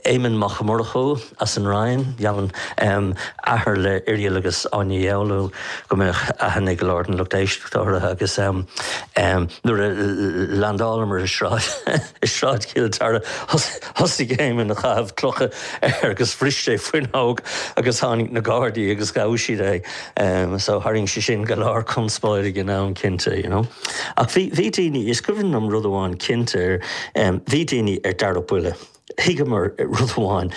Éamonn Mac Murchú as an Rinn, dheamhan, athair le Irial agus Áine Uí Fhoghlú, go mbeadh aithne ag go leor den lucht éisteachta orthu agus nuair a landálamar i Sráid i Sráid Chill Dara thosaigh Éamonn a chaitheamh clocha air agus bhris sé fuinneog agus tháinig na Gardaí agus ghabh siad é. So tharraing sé sin go leor conspóid ag an am cinnte, you know. Ach bhí, bhí daoine, is cuimhin liom rud amháin cinnte, bhí daoine ar dara buille. Thuigeamar rud amháin,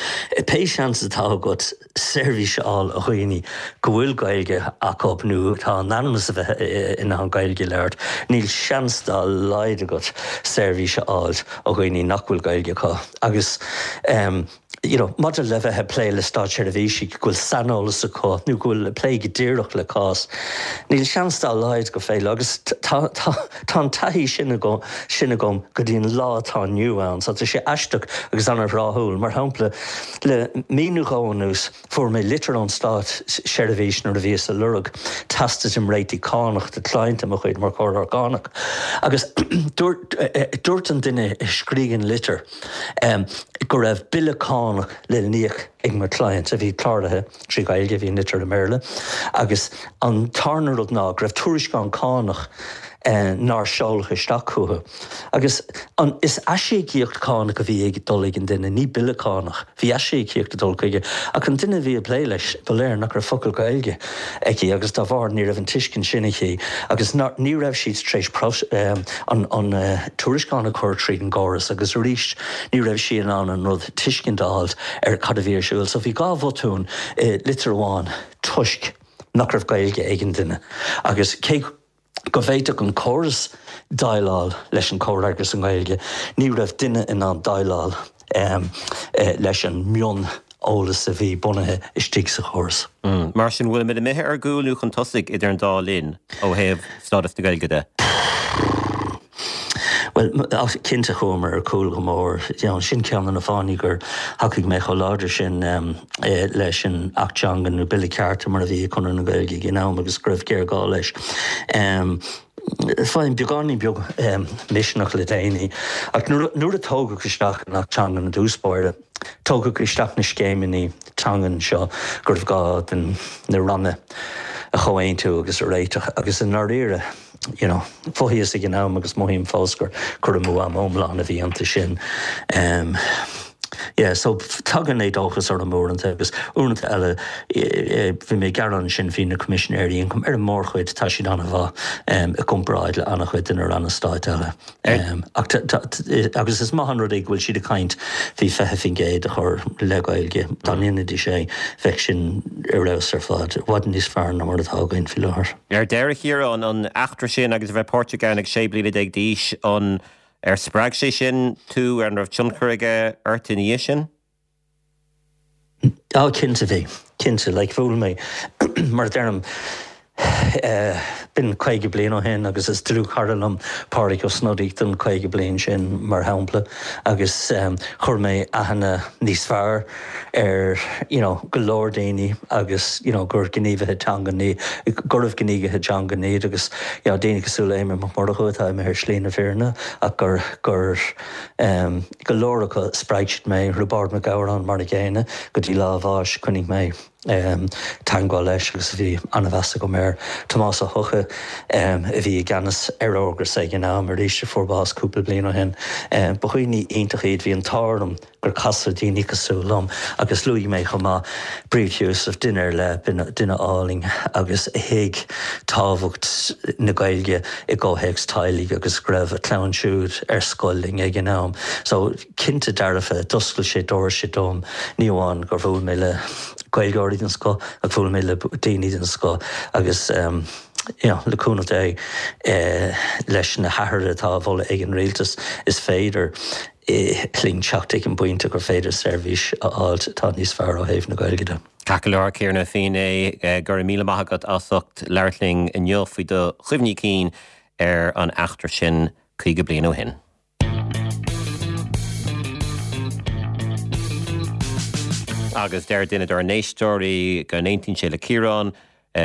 pé seans atá agat seirbhís a fháil ó dhaoine go bhfuil Gaeilge acu nó atá in ainm is a bheith in ann Gaeilge a labhairt, níl seans dá laghad agat seirbhís a fháil ó dhaoine nach bhfuil Gaeilge acu. Agus. you know, maidir le bheith ag plé le státseirbhísigh go bhfuil saineolas acu nó go bhfuil ag plé go díreach le cás, níl seans dá laghad go féidir agus tá, tá, tá an taithí sin agam, sin agam go dtí an lá atá inniu ann. So tá sé aisteach agus an-thráthúil. Mar shampla, le mí nó dhó anuas, fuair mé litir ón státseirbhís nuair a bhíos ag lorg teastas imréitigh cánach do client de mo chuid mar chomhairleoir cánach agus dúirt, dúirt an duine a scrígh an litir, go raibh bille cánach le n-íoc ag mo client a bhí cláraithe trí Ghaeilge, bhí an litir i mBéarla, agus an tarna rud ná go raibh tuairisceán cánach nár seoladh isteach chucu. Agus an, is aisíocaíocht cánach a bhí ag dul ag an duine, ní bille cánach. Bhí aisíocaíocht ag dul chuige, ach an duine a bhí ag plé leis, ba léir nach raibh focal Gaeilge aici agus dá bharr ní raibh an tuiscint sin aici agus ní raibh siad tar éis an tuairisceán a chur tríd an gcóras agus arís ní raibh sí in ann an rud tuiscint a fháilt ar cad a bhí ar siúl. So bhí dhá bhotún i litir amháin toisc nach raibh Gaeilge ag an duine agus cé go bhféadfadh an córas déileáil leis an chomhfhreagras i nGaeilge, ní raibh duine in ann déileáil leis an mioneolas a bhí bunaithe istigh sa chóras. Mar sin, bhfuilimid imithe ar gcúl nó chun tosaigh idir an dá linn ó thaobh stádas na Gaeilge de? Bhuel, cinnte chuamar ar cúl go mór. Sin ceann de na fáthanna gur thacaigh mé chomh láidir sin leis an Acht Teanga nó Bille Cearta mar a bhí ag Conradh na Gaeilge ag an am agus go raibh géarghá leis. Faighim beagáinín beag misneach le déanaí ach nuair a tógadh isteach an Acht Teanga i dtús báire, tógadh isteach na scéimeanna teangan seo go raibh gá den na ranna a chomhaontú agus a réiteach agus i ndáiríre. You know, mhothaíos ag an am agus mothaím fós gur cur amú ama iomlán a bhí iontu sin. Em, yeah, so tagann éadóchas orm uaireanta agus uaireanta eile bhí mé ag gearán ansin faoi na Coimisinéirí Ioncaim, ar an mórchuid tá siad an-mhaith em, i gcomparáid le an-chuid de na ranna stáit eile. Em, ach tá, tá, agus is maith an rud é go bhfuil siad ag caint faoi 20% a chur le Gaeilge. Dá ndéanfaidís é, bheadh sin ar fheabhas ar fad, i bhfad níos fearr ná mar atá againn faoi láthair. Ar deireadh, a Chiaráin, an eachtra sin agus a bheith páirteach ann ag 16 bliana d'aois, an ar spreag sé sin tú, an raibh tionchar aige ort ina dhiaidh sin? Á, cinnte bhí. Cinnte. Like, bhuail mé, mar a deirim, eh, b'in 50 bliain ó shin agus is dlúthchara liom Pádraig Ó Snodaigh don 50 bliain sin, mar shampla, agus em, chuir mé aithne níos fearr ar, you know, go leor daoine agus, you know, gur gníomhaithe teanga, gurbh gníomhaithe teanga iad agus, you know, daoine cosúil le Éamonn Mac Murchú atá imithe ar shlí na fírinne ach gur, gur em, Go leor acu, spreag siad mé, Roibeárd Mac Gabhráin mar a gcéanna, go dtí lá a bháis, choinnigh mé teagmháil leis agus bhí an-mheas agam air. Tomás Ó hEochaidh, a bhí i gceannas ar Ógras ag an am, arís a fuair bás cúpla bliain ó shin. Ba dhaoine iontacha iad, bhí an t-ádh orm gur casadh daoine cosúil liom agus luaigh mé chomh maith Bríd Sheosaimh, duine ar leith, duine álainn agus a thuig tábhacht na Gaeilge i gcomhthéacs teaghlaigh agus go raibh a clann siúd ar scoil linn ag an am. So, cinnte dearfa, d'oscail sé doirse dom, ní amháin gur bhuail mé le Gaeilgeoirí den scoth ach bhuail mé le daoine den scoth agus you know, le cúnamh Dé, leis na hathruithe atá á mholadh ag an rialtas, is féidir linn teacht ag an bpointe gur féidir seirbhís a fháilt atá níos fearr ó thaobh na Gaeilge de. Ceart go leor, a Chiaráin a Fínné, go raibh míle maith agat as ucht labhairt linn inniu faoi do chuimhní cinn ar an eachtra sin 50 bliain ó shin. Agus deir duine dár n-éisteoirí go n-aontaíonn sé le Ciarán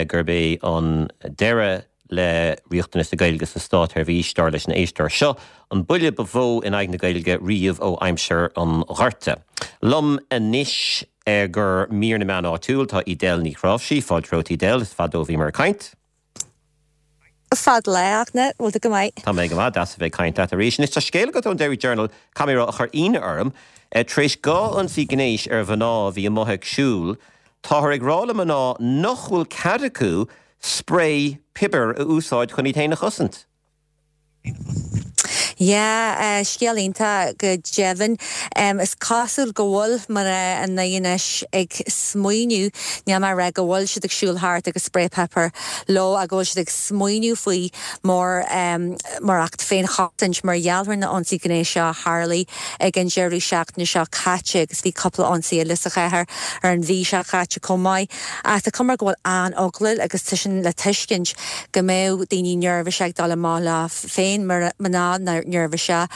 gurb é an deireadh le riachtanas na Gaeilge sa státsheirbhís, dar leis an éisteoir seo, an buille ba mhó in aghaidh na Gaeilge riamh ó aimsir an Ghorta. Liom anois i gcomhair mír na meán áitiúil tá Edel Ní Chráimhsí. Fáilte romhat Edel, is fada ó bhíomar ag caint. Fada lá, a Fhachtna, bhfuil tú go maith? Tá mé go maith, deas a bheith ag caint leat arís. Anois tá scéal agat ón Derry Journal, caithfidh mé a rá, a chuir ionadh orm. Tar éis 2 ionsaí gnéis ar mhná a bhí amuigh ag siúl, táthar ag rá le mná nach bhfuil cead acu sprae piobair a úsáid chun iad féin a chosaint. Yeah, scéal iontach go deimhin. Is cosúil go bhfuil mná i nDoire anois ag smaoineamh, níl mé ag rá go bhfuil siad ag siúl thart agus spray pepper leo ach go bhfuil siad ag smaoineamh faoi mar mar acht féinchosaint mar gheall ar na ionsaí gnéis seo a tharlaigh ag an deireadh seachtaine seo caite agus bhí cúpla ionsaí eile sa chathair ar an mhí seo caite chomh maith. Ach tá cuma go bhfuil an-eagla agus tá sin le tuiscint go mbeadh daoine neirbhíseach ag dul amach leo féin, mná neirbhíseach.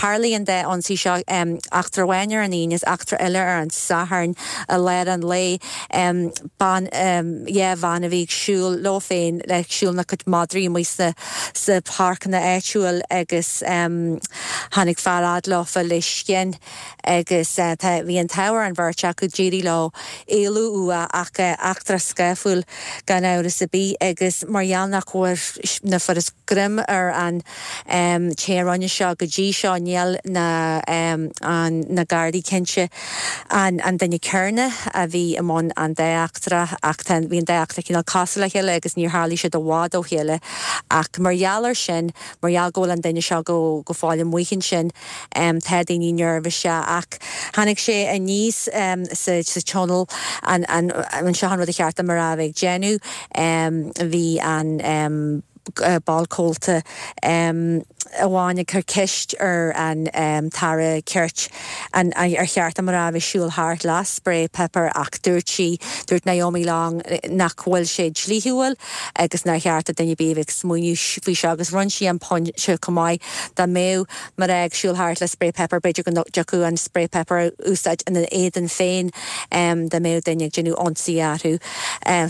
Tharlaigh an dá ionsaí seo, eachtra amháin ar an Aoine is eachtra eile ar an Satharn i lár an lae. Bean, yeah, bhean a bhí ag siúl leo féin, ag siúl lena cuid madraí amuigh sna sna páirceanna áitiúil agus tháinig fear fhad leofa le scian. Agus tá, bhí an t-ádh ar an bheirt acu, d'éirigh leo éalú uaidh ach eachtra scáfúil gan amhras ar bith agus mar gheall nach bhfuair, nach bhfuarthas greim ar an té a rinne seo go dtí seo, níl na, an, na Gardaí cinnte an an duine céanna a bhí i mbun an dá eachtra ach tá, bhí an dá eachtra cineál cosúil le chéile agus níor tharlaigh siad i bhfad ó chéile ach mar gheall ar sin, mar gheall go bhfuil an duine seo go, go fóill amuigh ansin. Tá daoine neirbhíseach ach tháinig sé aníos sa tionól an seo an rud a cheart do mná a bheith ag déanamh. Bhí an ball comhalta amháin ag cur ceist ar an tAire Cirt an ar cheart do mná a bheith ag siúl thart le spray pepper ach dúirt sí, dúirt Naomi Long nach bhfuil sé dlíthiúil agus nár cheart do duine ar bith a bheith ag smaoineamh faoi seo agus rinne sí an pointe chomh maith dá mbeadh mná ag siúl thart le spray pepper, b'fhéidir go dtiocfadh an spray pepper a úsáid ina n-éadan féin dá mbeadh duine ag déanamh ionsaí orthu.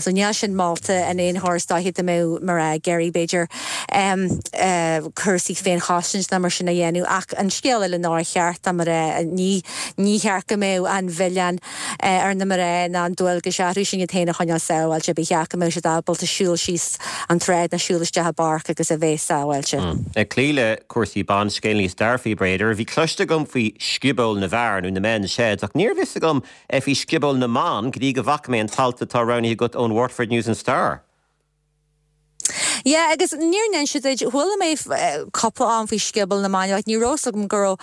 So níl sin molta in aon chor is dóiche dá mbeadh mná ag iarraidh b'fhéidir. b'fhéidir cúrsaí féinchosaint ná mar sin a dhéanamh ach an scéal eile nár cheart do mhná, ní ní cheart go mbeadh an mhilleán ar na mná ná an dualgas orthu sin iad féin a choinneáil sábháilte, ba cheart go mbeadh siad ábalta siúl síos an tsráid ná siúl isteach i bpáirc agus a bheith sábháilte. Ag cloí le cúrsaí ban, scéal níos dearfaí b'fhéidir. Bhí cloiste agam faoi sciobóil na bhfear nó na men's sheds ach níorbh fhios agam faoi sciobóil na mban go dtí go bhfaca mé an t-alt atá roghnaithe agat ón Waterford News and Star. Yeah, agus níor inse duit, chuala mé cúpla am faoi scioból na mban ach ní raibh 'fhios agam go raibh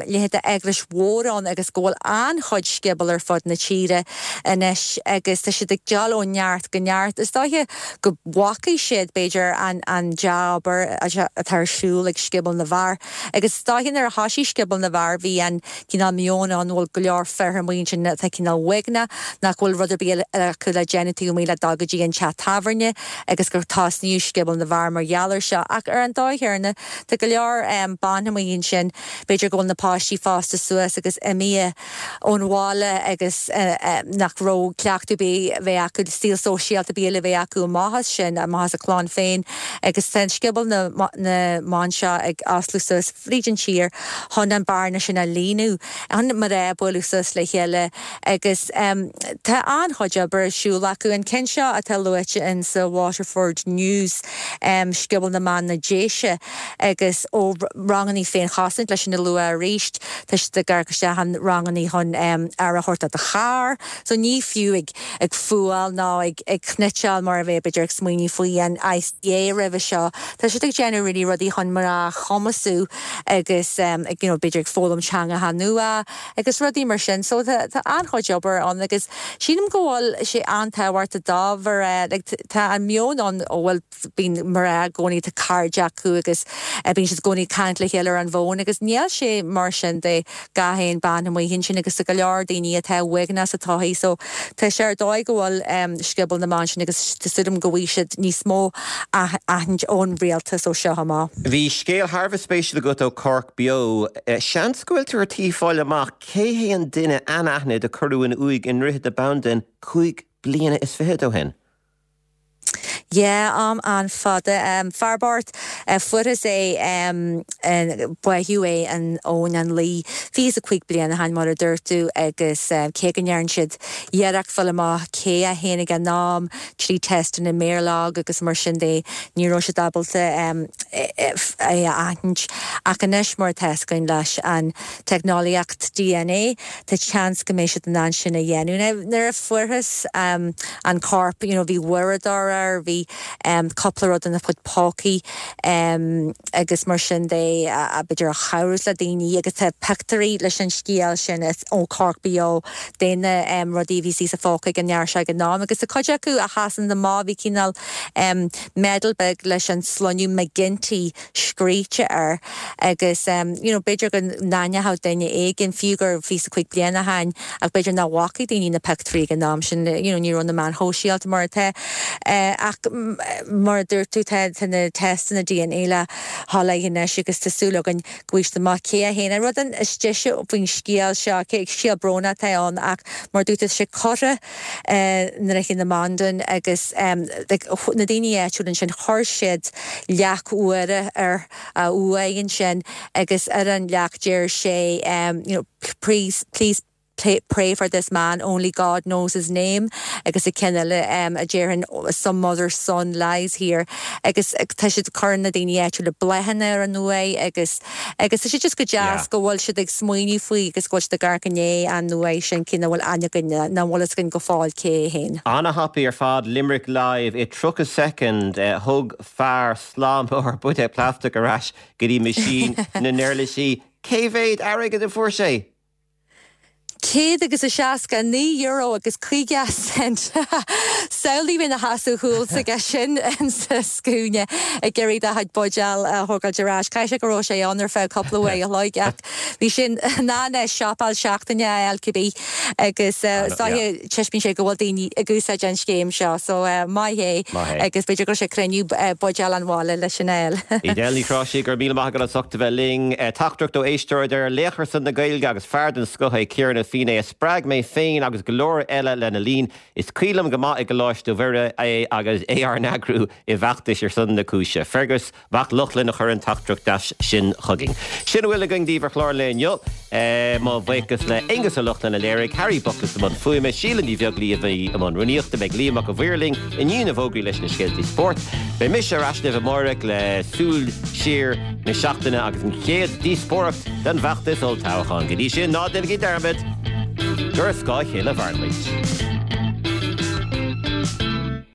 leithéid de eaglais mhór ann agus go bhfuil an-chuid scioból ar fud na tíre anois agus tá siad ag dul ó neart go neart. Is dóiche go bhfacaidh siad, b'fhéidir, an an dea-obair atá ar siúl ag scioból na bhfear agus is dóiche nuair a thoisigh scioból na bhfear bhí an cineál meon ann bhfuil go leor fir amuigh ansin atá cineál uaigneach, nach bhfuil rud ar bith eile acu le déanamh taobh amuigh le dul go dtí an teach tábhairne agus gur tosnaíodh Scioból na bhFear mar gheall air seo. Ach ar an dóigh chéanna, tá go leor ban amuigh ansin, b'fhéidir go bhfuil na páistí fásta suas agus imithe ón bhaile agus nach raibh cleachtadh ar bith a bheith acu, saol sóisialta ar bith eile a bheith acu amach as sin, amach as a clann féin agus tá an Scioból na mBan seo ag osclú suas. fríd an tír chun an bearna sin a líonadh, chun mná bualadh suas le chéile agus tá an-chuid obair ar siúl acu. An ceann seo atá luaite in sa Waterford News, Scioból na mBan na Déise agus ó rangannaí féinchosaint leis sin a lua arís, tá siad ag amharc isteach an rangannaí chun aire a thabhairt do do charr, so ní fiú ag ag fuáil ná ag ag cniotáil mar a bheadh b'fhéidir ag smaoineamh faoi an ICA roimhe seo. Tá siad ag déanamh really rudaí chun mná a chumasú agus ag you know b'fhéidir ag foghlaim teangacha nua agus rudaí mar sin. So tá tá an-chuid obair ann agus sílim go bhfuil sé an-tábhachtach do mhná like tá an meon ann ó bhfuil bíonn mná i gcónaí tá cairde acu agus bíonn siad i gcónaí ag caint le chéile ar an bhfón agus níl sé mar sin de gach aon bean amuigh ansin agus tá go leor daoine atá uaigneach sa tsochaí so tá sé ar dóigh go bhfuil Scioból na mBan sin agus tá súil agam go bhfaighidh siad níos mó aithint ón rialtas ó seo amach. Bhí scéal thar a bheith spéisiúil agat ó Cork Beo. Seans go bhfuil tú ar tí fáil amach cé hé an duine anaithnid a cuireadh in uaigh i nDroichead na Bandan 25 bliana ó shin. Yeah, am an-fhada. Fear bocht, fuarthas é, báitheadh é in Abhainn an Laoi 25 bliain ó shin, mar a dúirt tú, agus cé go ndearn siad iarracht fáil amach cé é féin ag an am, trí teisteanna méarlorg agus mar sin de, ní raibh siad ábalta é a aithint. Ach anois, mar atá fhios againn leis an teicneolaíocht DNA, tá seans go mbeidh siad in ann sin a dhéanamh. Now, nuair a fuarthas an corp, you know, bhí uaireadóir air, bhí cúpla rud ina chuid pócaí agus mar sin de, b'fhéidir a chabhrós le daoine agus tá pictiúirí leis an scéal sin ó Cork Beo de na rudaí a bhí sa phóca ag an fhear seo ag an am agus tá cuid acu a sheasann amach, bhí cineál medal beag leis an sloinneadh McGinty scríte air agus you know b'fhéidir go n-aithneodh duine éigin, fiú gur 25 bliain ó shin ach b'fhéidir nach bhfacaidh daoine na pictiúirí ag an am sin, you know ní raibh na meáin shóisialta mar atá. Ach mar a dúirt tú tá tá na teisteanna DNA le sholáthar anois agus tá súil againn go bhfaighidh siad amach cé é féin. An rud is deise faoin scéal seo, scéal brónach atá ann ach mar a dúirt tú tá sé curtha i nDroichead na Bandan agus na daoine áitiúla ansin chuir siad leac úr ar a uaigh ansin agus ar an leac deir sé you know please please pray for this man only God knows his name agus an ceann eile a déarfainn some mother's son lies here agus tá siad cuireann na daoine áitiúla bláthanna ar an uaigh agus Agus tá sé just go deas go bhfuil siad ag smaoineamh faoi agus go bhfuil siad ag amharc i ndiaidh an uaigh sin, cé nach bhfuil aithne againn, nach bhfuil fhios againn go fóill cé é féin. Ana-thapaidh ar fad, Limerick Live i 30 soicind, thug fear slám mór buidéal plaisteach ar ais go dtí meaisín na n-uirlisí. Cé mhéad airgid a fuair sé? €169 agus 50 cent. Samhlaigh bheith ina sheasamh thuas aige sin sa scuaine ag iarraidh do chuid buidéal a thógáilt ar ais. Caithfidh sé go raibh sé ann ar feadh cúpla uair a chloig ach bhí sé in ann siopail seachtaine a fháil cibé agus is dóiche taispeánann sé go bhfuil daoine ag úsáid an scéim seo so maith é agus b'fhéidir go raibh sé ag cruinniú buidéal an bhaile leis sin a fháil. Edel Ní Chráisigh, go raibh míle maith agat as ucht a bheith linn. Teachtaireacht ó éisteoir a deir, Laoch ar son na Gaeilge agus fear den scoth é Ciarán Ó. Josephine é a spreag mé féin agus go leor eile lena linn. Is cuimhin liom go maith i gColáiste Mhuire é agus é ár n-eagrú i bhfeachtais ar son na cúise. Fergus Mac Lochlainn a chuir an teachtaireacht deas sin chugainn. Sin a bhfuil againn daoibh ar chlár an lae inniu. Mo bhuíochas le Aonghus Ó Lochlainn a léirigh, Harry Buckless i mbun fuaime, Síle Ní Bheaglaoí a bhí i mbun rúnaíochta. Beidh Liam Mac a' Mhaoir linn i ndiaidh na bhfógraí leis na scéaltaí spóirt. Beidh mise ar ais libh amáireach le súil siar na seachtaine agus an chéad díospóireacht den bhfeachtas olltoghcháin. Go dtí sin, ná déanaigí dearmad gur ar scáth a chéile a mhaireann muid.